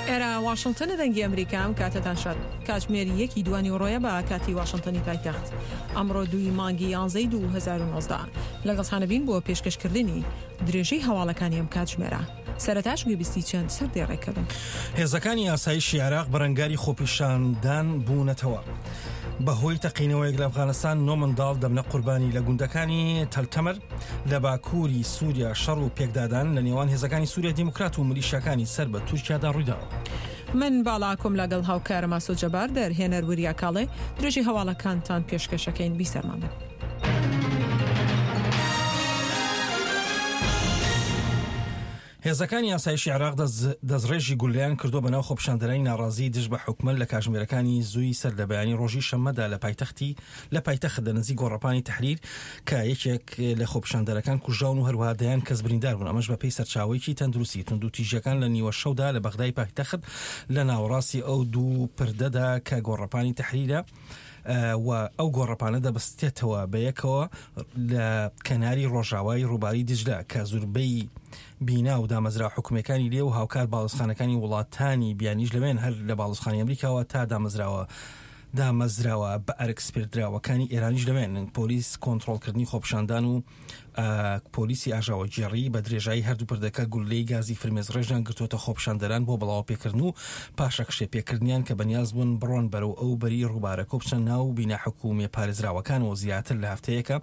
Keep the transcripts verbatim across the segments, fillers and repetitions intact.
ئێرە واشنگتنە، دەنگی ئەمریکا. ئەم کاتەتان شاد. کاتژمێر یەکی دوانی ڕۆیە بە کاتی واشنگتنی پایتەخت. ئەمڕۆ دووی مانگی یانزەی دوو هەزار و نۆزدە لەگەڵتانەبین بۆ پێشکەشکردنی درێژەی هەواڵەکانی ئەم کاتژمێرە. سەرەتاش گوێبیستی چەند سەردێڕێکە بن. هێزەکانی ئاسایشی عێراق بەرەنگاری خۆپیشاندان بوونەتەوە. بەهۆی تەقینەوەیەک لە ئەفغانستان نۆ منداڵ دەبنە قوربانی لە گوندەکانی تەلتەمر لە باکووری سووریا. شەڕ و پێکدادان لە نێوان هێزەکانی سووریا دیموکرات و ملیشیاکانی سەر بە تورکیادا ڕوویداوە. من باڵاکۆم لەگەڵ هاوکارم ئاسۆ جەبار، دەرهێنەر وریا کاڵێ، درێژی هەواڵەکانتان پێشکەشەکەین. بیسەرمان بن. هێزەکانی ئاسایشی عێراق دەستڕێژی گولەیان کردووە بەناو خۆپیشاندەرانی ناڕازی دژ بە حکومەت لە کاژمێرەکانی زووی سەر لە بەیانی ڕۆژی شەممەدا لە پایتەختی لە پایتەخت لە نزیک گۆڕەپانی تەحریر کە یەکێک لە خۆپیشاندەرەکان کوژراون و هەروەها دەیان کەس بریندار بوون. ئەمەش بەپێی سەرچاوەیەکی تەندروستی. توندوتیژیەکان لە نیوە شەودا لە بەغدای پایتەخت لە ناوەڕاستی ئەو دوو پردەدا کە گۆڕەپانی تەحریرە و ئەو گۆڕەپانە دەبەستێتەوە بەیەکەوە لە کەناری ڕۆژاوای ڕووباری دجلە کە زوربەی بینا و دامەزرا حکومیەکانی لێ و هاوکار باڵوێزخانەکانی وڵاتانی بیانیش لەوێن، هەر لە باڵوێزخانەی ئەمریکاوە تا دامەزراوە دامەزراوە بە ئەرک سپێردراوەکانی ئێرانیش لەوێن. پۆلیس کۆنترۆڵکردنی خۆپیشاندان و پۆلیسی ئاژاوەگێڕی بە درێژایی هەردوو پردەکە گوللەی گازی فرمێزڕێژیان گرتووەتە خۆپیشاندەران بۆ بڵاوە پێکردن و پاشەکشێ پێکردنیان کە بەنیاز بوون بڕۆن بەرەو ئەو بەری ڕووبارەکە و بچنە ناو بینا حکومیە پارێزراوەکانەوە. زیاتر لە هەفتەیەکە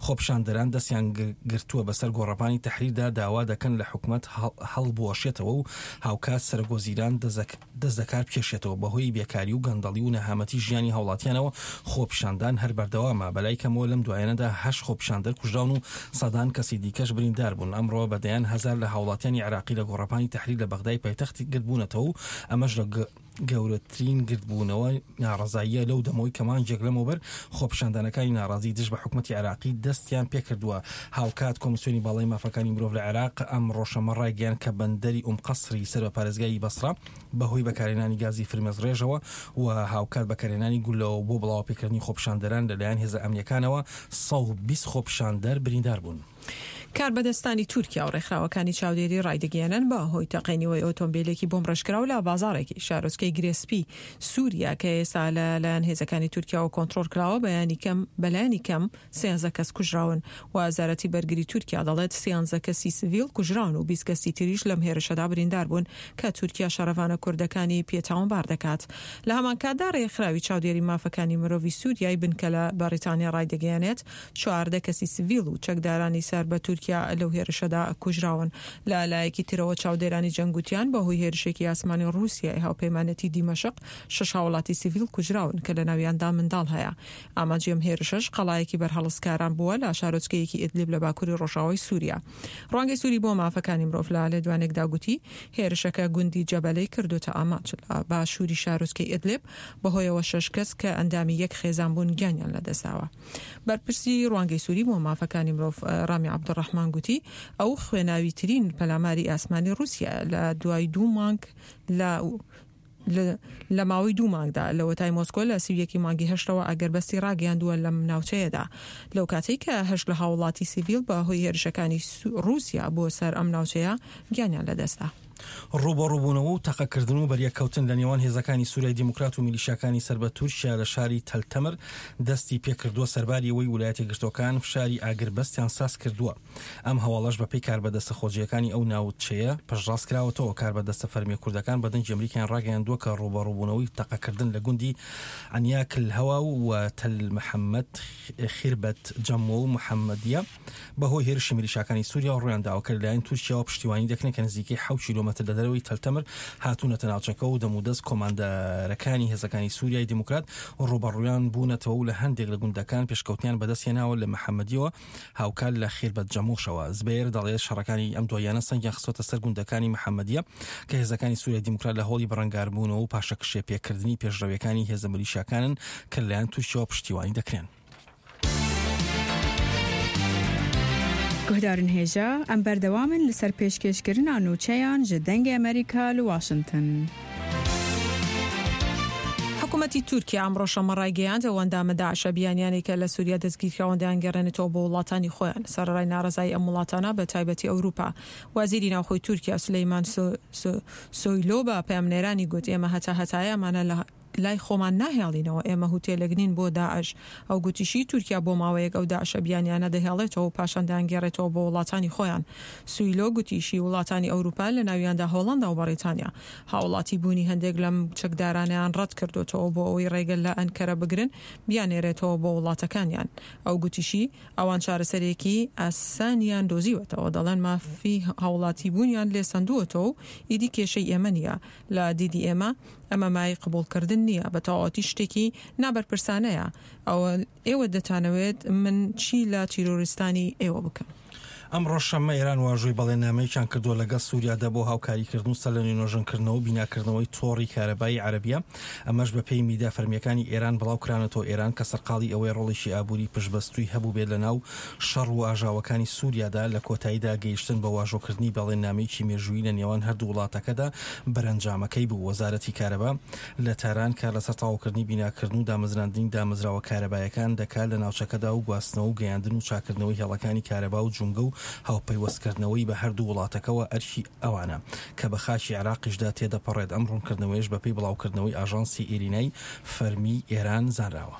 خۆپیشاندەران دەستیان گرتووە بەسەر گۆڕەپانی تەحریردا، داوا دەکەن لە حکومەت هەڵبوەشێتەوە و هاوکات سەرۆکوەزیران دەست دەکار بکێشێتەوە. بەهۆی بێکاری و گەندەڵی و نەهامەتی ژیانی هاوڵاتیانەوە خۆپیشاندان هەر بەردەوامە. بەلای کەمەوە لەم دوایانەدا هەشت خۆپیشاندەر کوژراون و سەدان کەسی دیکەش بریندار بوون. ئەمڕۆ بە دەیان هەزار لە هاوڵاتیانی عێراقی لە گۆڕەپانی تەحریر لە بەغدای پایتەختی گردبوونەتەوە و ئەمەش لە گەورەترین گردبوونەوە ناڕەزاییە لەو دەمەوەی کە مانگێک لەمەوبەر خۆپیشاندانەکانی ناڕازی دژ بە حکومەتی عێراقی دەستیان پێکردووە. هاوکات کۆمیسیۆنی باڵای مافەکانی مرۆڤ لە عێراق ئەمڕۆ شەممە ڕایگەیاند کە بەندەری ئوم قەسری سەر بە پارێزگای بەسرە بەهۆی بەکارهێنانی گازی فرمێسڕێژەوە و هاوکات بەکارهێنانی گولەوە بۆ بڵاوەپێکردنی خۆپیشاندەران لەلایەن هێزە ئەمنیەکانەوە سەد و بیست خۆپیشاندەر بریندار بوون. کاربەدەستانی تورکیا و ڕێکخراوەکانی چاودێری ڕایدەگەیەنن بە هۆی تەقینەوەی ئۆتۆمبیلێکی بۆمبڕێژکراو لە بازاڕێکی شارۆچکەی گرێسپی سووریا کە ئێستا لەلایەن هێزەکانی تورکیاوە کۆنترۆڵ کراوە بەیانی کەم بەلایەنی کەم سیانزە کەس کوژراون. وەزارەتی بەرگری تورکیا دەڵێت سیانزە کەسی سڤیل کوژراون و بیست کەسی تریش لەم هێرشەدا بریندار بوون کە تورکیا شەڕەڤانە کوردەکانی پێ تاوانبار دەکات. لە هەمانکاتدا ڕێکخراوی چاودێری مافەکانی مرۆڤی سووریای بنکە لە بەریتانیا ڕایدەگەیەنێت چواردە کەسی سڤیل و چەکدارانی سەر بە تورکیا لەو هێرشەدا کوژراون. لە لایەکی ترەوە چاودێرانی جەنگ وتیان بەهۆی هێرشێکی ئاسمانی ڕووسیای هاوپەیمانەتی دیمەشق شەش هاوڵاتی سیڤیل کوژراون کە لە ناویاندا منداڵ هەیە. ئامانجی ئەم هێرشەش قەڵایەکی بەرهەڵستکاران بووە لە شارۆچکەیەکی ئیدلیب لە باکووری ڕۆژاوای سووریا. ڕوانگەی سووری بۆ مافەکانی مرۆڤ لە لێدوانێکدا گوتی هێرشەکە گوندی جەبەلەی کردوتە ئامانج لە باشووری شارۆچکەی ئیدلیب، بەهۆیەوە شەش کەس کە ئەندامی یەک خێزان بوون گیانیان لەدەستداوە. بەرپرسی ڕوانگەی سووری بۆ مافەکانی مرۆڤ ڕامی عەبدولڕەحمان گوتی ئەو خوێناویترین پەلاماری ئاسمانی ڕووسیا لە دوای دوو مانگ لە لە ماوەی دوو مانگدا لەوەتای مۆسکۆ لە سی و یەکی مانگی هەشتەوە ئاگربەستی ڕاگەیاندووە لەم ناوچەیەدا لەو کاتەی کە هەشت لە هاوڵاتی سیڤیل بە هۆی هێرشەکانی ڕووسیا بۆ سەر ئەم ناوچەیە گیانیان لەدەستدا. ڕووبەڕووبوونەوە و تەقەکردن و بەریەککەوتن لە نێوان هێزەکانی سووریای دیموکرات و میلیشیاکانی سەر بە تورکیا لە شاری تەلتەمر دەستی پێکردووە، سەرباری ئەوەی ویلایەتە یەکگرتووەکان فشاری ئاگربەستیان ساز کردووە. ئەم هەواڵەش بەپێی کاربەدەستە خۆجێیەکانی ئەو ناوچەیە پشتڕاست کراوەتەوە. کاربەدەستە فەرمییە کوردەکان بە دەنگی ئەمریکایان ڕاگەیاندووە کە ڕووبەڕووبوونەوەی تەقەکردن لە گوندی عەنیاک الهوا و تەل محەممەد خیربەت جەمۆ و محەممەدیە بەهۆی هێرشی میلیشاکانی سووریاوە ڕوویانداوە کە لەلایەن تورکیاوە پشتیوانی دەکرێن کە نزیکەی حەوت کیلۆمەتر لە دەرەوەی تەلتەمر هاتوونەتە ناوچەکە و دەمودەست کۆماندەرەکانی هێزەکانی سووریای دیموکرات ڕووبەڕوویان بوونەتەوە و لە هەندێک لە گوندەکان پێشکەوتنیان بەدەستهێناوە لە محەممەدیەوە هاوکات لە خیربەت جەمۆشەوە. زبێر دەڵێت شەڕەکانی ئەم دواییانە سەنگیان خستۆتە سەر گوندەکانی محەممەدیە کە هێزەکانی سووریای دیموکرات لە هەوڵی بەرەنگاربوونەوە و پاشەکشێ پێکردنی پێشڕەویەکانی هێزە میلیشیاکانن کە لەلایەن تورکیاوە پشتیوانی دەکرێن. گوهدارن هێژا ئەم بەردەوامن لەسەر پێشکێشکردنا نوچەیان ji دەنگê Amerîka li Washington. حکوومەتی تورکیا ئەمڕۆ شەممە ڕایگەیاند، ئەو ئەندامە داعشە بیانیانەی کە لە سووریا دەستگیرکراون دەیانگەڕێنێتەوە بۆ وڵاتانی خۆیان، سەرەڕای ناڕەزایی ئەم وڵاتانە بە تایبەتی ئەوروپا. وەزیری ناوخۆی تورکیا سولەیمان سۆیلۆ بە پەیامنێرانی گوت، ئێمە هەتا هەتایە ئەمانە لە لای خۆمان ناهێڵینەوە، ئێمە هوتێلێک نین بۆ داعش. ئەو گوتیشی، تورکیا بۆ ماوەیەک ئەو داعشە بیانیانە دەهێڵێتەوە و پاشان دەیانگێڕێتەوە بۆ وڵاتانی خۆیان. سویلۆ گوتیشی، وڵاتانی ئەوروپا لە ناویاندا هۆڵەندا و بەڕیتانیا هاوڵاتی بوونی هەندێک لەم چەکدارانەیان ڕەت کردووەتەوە بۆ ئەوەی ڕێگە لە ئەنکەرە بگرن بیاننێرێتەوە بۆ وڵاتەکانیان. ئەو گوتیشی، ئەوان چارەسەرێکی ئاسانیان دۆزیوەتەوە، دەڵێن مافی هاوڵاتیبوونیان لێ سەندووەتەوە و ئیدی کێشەی ئێمە نییە. لە دیدی ئێمە ئەمە مایەی قبوڵکردن نییە، بە تەواوەتی شتێکی نابەرپرسانەیە. ئەوە ئێوە دەتانەوێت من چی لە تیرۆریستانی ئێوە بکەم؟ ئەمڕۆ شەممە ئێران واژۆی بەڵێننامەیەکیان کردووە لەگەڵ سووریادا بۆ هاوکاریکردن و سەرلەنوێ نۆژەنکردنەوە و بیناکردنەوەی تۆڕی کارەبایی عەرەبیە، ئەمەش بەپێی میدیا فەرمییەکانی ئێران بڵاوکرانەتەوە. ئێران کە سەرقاڵی ئەوەی ڕۆڵێکی ئابووری پشتبەستووی هەبووبێت لەناو شەڕ و ئاژاوەکانی سووریادا، لە کۆتاییدا گەیشتن بە واژۆکردنی بەڵێننامەیەکی مێژوویی لە نێوان هەردوو وڵاتەکەدا بەرەنجامەکەی بوو. وەزارەتی کارەبا لە تاران کار لەسەر تەواوکردنی بیناکردن و دامەزراندنی دامەزراوە کارەبایەکان دەکات لە ناوچەکەدا و گواستنەوە و گەیاندن و چاککردنەوەی هێڵەکانی کارەبا و جومگە و هاوپەیوەستکردنەوەی بە هەردوو وڵاتەکەوە ئەرکی ئەوانە کە بە خاکی عێراقیشدا تێدەپەڕێت. ئەم ڕوونکردنەوەیەش بەپێی بڵاوکردنەوەی ئاژانسی ئیرینای فەرمیی ئێران زانراوە.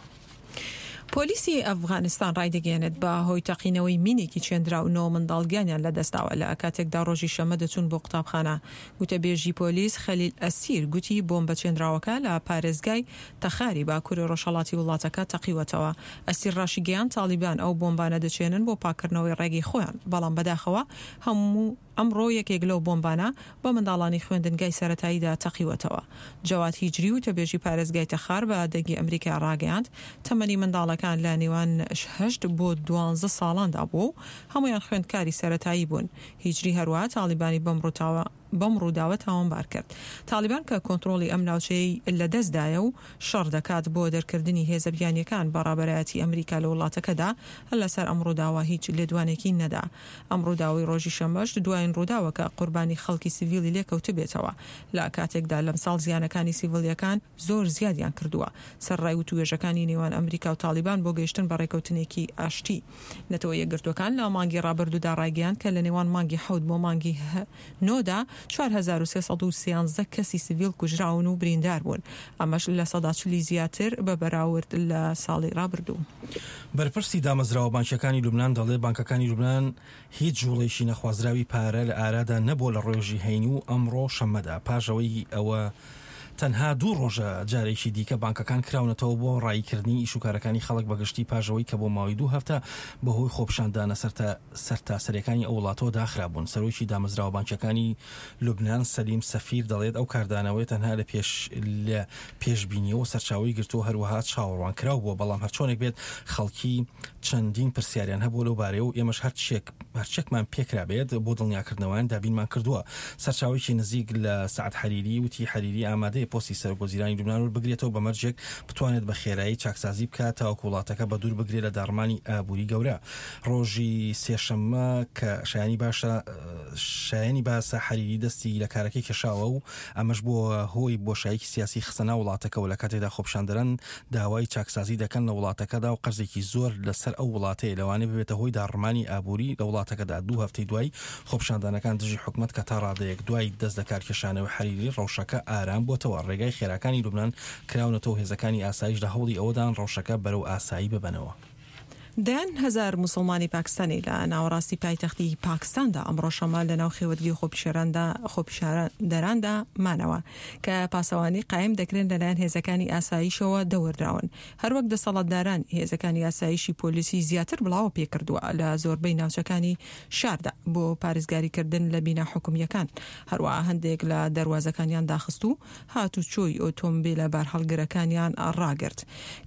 پۆلیسی ئەفغانستان ڕایدەگەیەنێت، بە هۆی تەقینەوەی مینێکی چێندراو نۆ منداڵ گیانیان لەدەستداوە لە کاتێکدا ڕۆژی شەممە دەچوون بۆ قوتابخانە. گوتەبێژی پۆلیس خەلیل ئەسیر گوتی بۆمبە چێندراوەکە لە پارێزگای تەخاری باکووری ڕۆژهەڵاتی وڵاتەکە تەقیوەتەوە. ئەسیر ڕاشیگەیاند تاڵیبان ئەو بۆمبانە دەچێنن بۆ پاککردنەوەی ڕێگەی خۆیان، بەڵام بەداخەوە هەموو ئەمڕۆ یەکێک لەو بۆمبانە بە منداڵانی خوێندنگای سەرەتاییدا تەقیوەتەوە. جەواد هیجری وتەبێژی پارێزگای تەخار بە دەنگی ئەمریکای ڕاگەیاند، تەمەنی منداڵەکان لە نێوان هەشت بۆ دوانزە ساڵاندا بووە و هەموویان خوێندکاری سەرەتایی بوون. هیجری هەروەها تاڵیبانی بەم ڕووتاوە بەم ڕووداوە تاوانبار کرد. تاڵیبان کە کۆنترۆڵی ئەم ناوچەیەی لەدەستدایە و شەڕ دەکات بۆ دەرکردنی هێزە بیانییەکان بە ڕابەرایەتی ئەمریکا لە وڵاتەکەدا، لەسەر ئەم ڕووداوە هیچ لێدوانێکی نەدا. ئەم ڕووداوەی ڕۆژی شەممەش دوایین ڕووداوە کە قوربانی خەڵکی سیڤیلی لێکەوتبێتەوە، لە کاتێکدا لەمساڵ زیانەکانی سیڤیلییەکان زۆر زیادیان کردووە، سەرەڕای وتووێژەکانی نێوان ئەمریکا و تاڵیبان بۆ گەیشتن بە ڕێکەوتنێکی ئاشتی. نەتەوە یەکگرتووەکان لە مانگی ڕابردوودا ڕایگەیاند کە لە نێوان مانگی حەوت بۆ مانگی نۆدا چوار هەزار و سێ سەد و سیانزە کەسی سڤیل کوژراون و بریندار بوون، ئەمەش لە سەدا چلی زیاتر بە بەراورد لە ساڵی ڕابردوو. بەرپرسی دامەزراوە بانکییەکانی لوبنان دەڵێت، بانکەکانی لوبنان هیچ جوڵەیەکی نەخوازراوی پارە لە ئارادا نەبووە لە ڕۆژی هەینی و ئەمڕۆ شەممەدا، پاش ئەوەی ئەوە تەنها دوو ڕۆژە جارێکی دیکە بانکەکان کراونەتەوە بۆ ڕاییکردنی ئیشوکارەکانی خەڵک بەگشتی پاش ئەوەی کە بۆ ماوەی دوو هەفتە بەهۆی خۆپیشاندانە سەرتاسەرییەکانی ئەو وڵاتەوە داخرابوون. سەرۆکی دامەزراوە بانکییەکانی لوبنان سەلیم سەفیر دەڵێت ئەو کاردانەوەیە تەنها لە پێش لە پێشبینیەوە سەرچاوەی گرتووە، هەروەها چاوەڕوانکراو بووە، بەڵام هەرچۆنێک بێت خەڵکی چەندین پرسیاریان هەبووە لەو بارەیە و ئێمەش هەرچێک هەرچێکمان پێکرابێت بۆ دڵنیاکردنەوەیان دابینمان کردووە. سەرچاوەیەکی نزیک لە سەعد حەریری وتی حەریری ئامادەیە پۆستی سەرۆکوەزیرانی لوبنان وەربگرێتەوە بە مەرجێک بتوانێت بە خێرایی چاکسازی بکات تاوەکو وڵاتەکە بەدوور بگرێت لە داڕمانی ئابووری گەورە. ڕۆژی سێشەممە کە شایانی باشە شایانی باسە حەریری دەستی لە کارەکەی کێشاوە و ئەمەش بووە هۆی بۆشاییەکی سیاسی خستە ناو وڵاتەکەوە لە کاتێکدا خۆپیشاندەران داوای چاکسازی دەکەن لە وڵاتەکەدا و قەرزێکی زۆر لەسەر ئەو وڵاتەیە لەوانەیە ببێتە هۆی داڕمانی ئابووری لە وڵاتەکەدا. دوو هەفتەی دوای خۆپیشاندانەکان دژی حکومەت کە تا ڕادەیەک دوای دەست لەکارکێشانەوەی حەریری ڕەوشەکە ئارام بۆتەوە، ڕێگای خێراکانی لوبنان کراونەتەوە و هێزەکانی ئاسایش لە هەوڵی ئەوەدان ڕەوشەکە بەرەو ئاسایی ببەنەوە. دەیان هەزار موسڵمانی پاکستانی لە ناوەڕاستی پایتەختی پاکستاندا ئەمڕۆ شەممە لەناو خێوەتگەی خۆپیشاندەراندا مانەوە کە پاسەوانی قایم دەکرێن لەلایەن هێزەکانی ئاسایشەوە دەوردراون. هەروەک دەسەڵاتداران هێزەکانی ئاسایشی پۆلیسی زیاتر بڵاوە پێکردووە لە زۆربەی ناوچەکانی شاردا بۆ پارێزگاریکردن لە بینا حکومییەکان، هەروەها هەندێک لە دەروازەکانیان داخست و هاتوچۆی ئۆتۆمبیلە بارهەڵگرەکانیان ڕاگرت.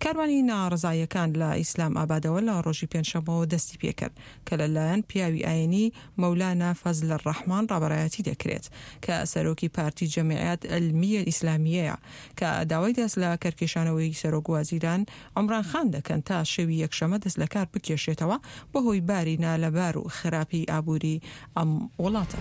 کاروانی ناڕەزاییەکان لە ئیسلام ئابادەوە لە ڕۆژی پێنجشەممەوە دەستی پێکرد کە لە لایەن پیاوی ئاینی مەولانا فەزلەڕەحمان ڕابەرایەتی دەکرێت کە سەرۆکی پارتی جەمیعەت عیلمیە ئیسلامییەیە کە داوای دەست لە کەرکێشانەوەی سەرۆک وەزیران عومران خان دەکەن تا شەوی یەکشەمە دەست لەکار بکێشێتەوە بەهۆی باری نالەبار و خراپی ئابووری ئەم وڵاتە.